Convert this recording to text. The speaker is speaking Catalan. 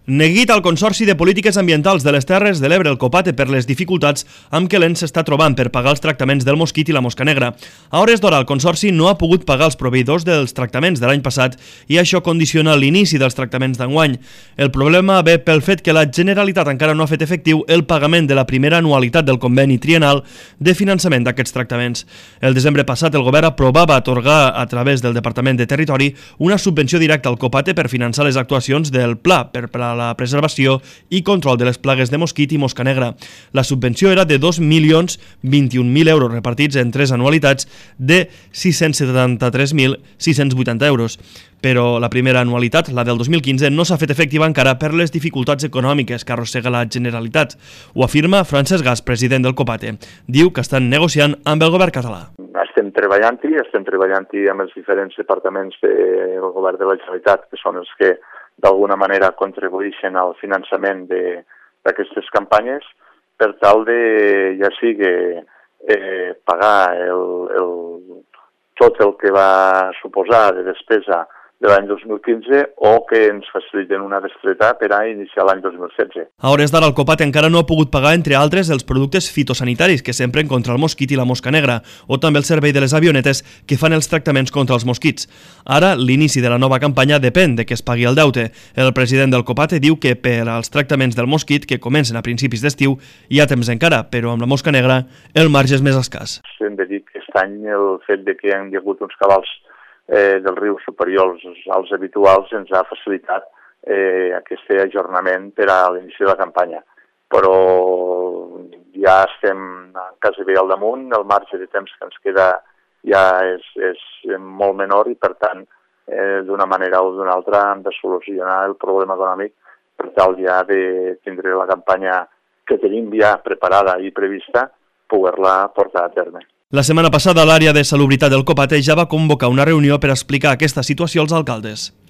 Neguit al Consorci de Polítiques Ambientals de les Terres de l'Ebre, el Copate, per les dificultats amb què l'ENS s'està trobant per pagar els tractaments del mosquit i la mosca negra. A hores d'hora, el Consorci no ha pogut pagar els proveïdors dels tractaments de l'any passat i això condiciona l'inici dels tractaments d'enguany. El problema ve pel fet que la Generalitat encara no ha fet efectiu el pagament de la primera anualitat del conveni triennal de finançament d'aquests tractaments. El desembre passat, el govern aprovava atorgar a través del Departament de Territori una subvenció directa al Copate per finançar les actuacions del Pla per a la preservació i control de les plagues de mosquit i mosca negra. La subvenció era de 2.021.000 euros repartits en 3 anualitats de 673.680 euros. Però la primera anualitat, la del 2015, no s'ha fet efectiva encara per les dificultats econòmiques que arrossega la Generalitat. Ho afirma Francesc Gas, president del Copate. Diu que estan negociant amb el govern català. Estem treballant-hi amb els diferents departaments del govern de la Generalitat, que són els que d'alguna manera contribueixen al finançament d'aquestes campanyes, per tal de, ja sigui pagar tot el que va suposar de despesa de l'any 2015 o que ens faciliten una bestreta per a iniciar l'any 2016. A hores d'ara, el Copate encara no ha pogut pagar, entre altres, els productes fitosanitaris que s'empren contra el mosquit i la mosca negra, o també el servei de les avionetes que fan els tractaments contra els mosquits. Ara, l'inici de la nova campanya depèn de que es pagui el deute. El president del Copate diu que per als tractaments del mosquit, que comencen a principis d'estiu, hi ha temps encara, però amb la mosca negra el marge és més escàs. Hem de dir que aquest any el fet de que hi ha hagut uns cabals dels rius superiors als habituals ens ha facilitat aquest ajornament per a l'inici de la campanya. Però ja estem quasi bé al damunt, el marge de temps que ens queda ja és molt menor i, per tant, d'una manera o d'una altra hem de solucionar el problema econòmic per tal ja de tindre la campanya que tenim ja preparada i prevista, poder-la portar a terme. La setmana passada, l'àrea de salubritat del Copate ja va convocar una reunió per explicar aquesta situació als alcaldes.